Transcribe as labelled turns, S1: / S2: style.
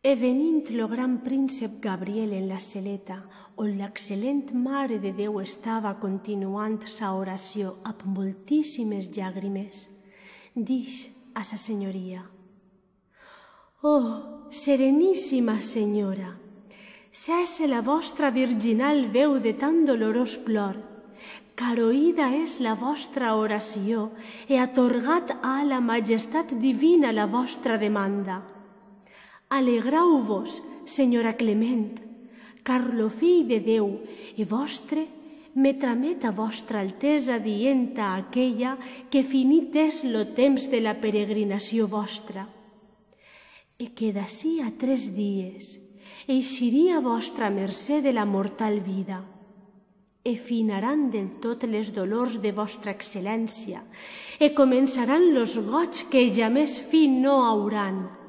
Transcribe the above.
S1: E venint lo gran príncep Gabriel en la celeta, on l'excel·lent Mare de Déu estava continuant sa oració amb moltíssimes llàgrimes, dix a sa senyoria: «Oh, sereníssima senyora, cesse la vostra virginal veu de tan dolorós plor, car oïda és la vostra oració e atorgat a la majestat divina la vostra demanda. Alegrau-vos, senyora Clement, car lo fill de Déu e vostre me tramet a vostra altesa dient a aquella que finit és lo temps de la peregrinació vostra, e que d'ací a 3 dies eixiria vostra mercè de la mortal vida, e finaran del tot les dolors de vostra excel·lència, e començaran los goig que jamès fi no hauran,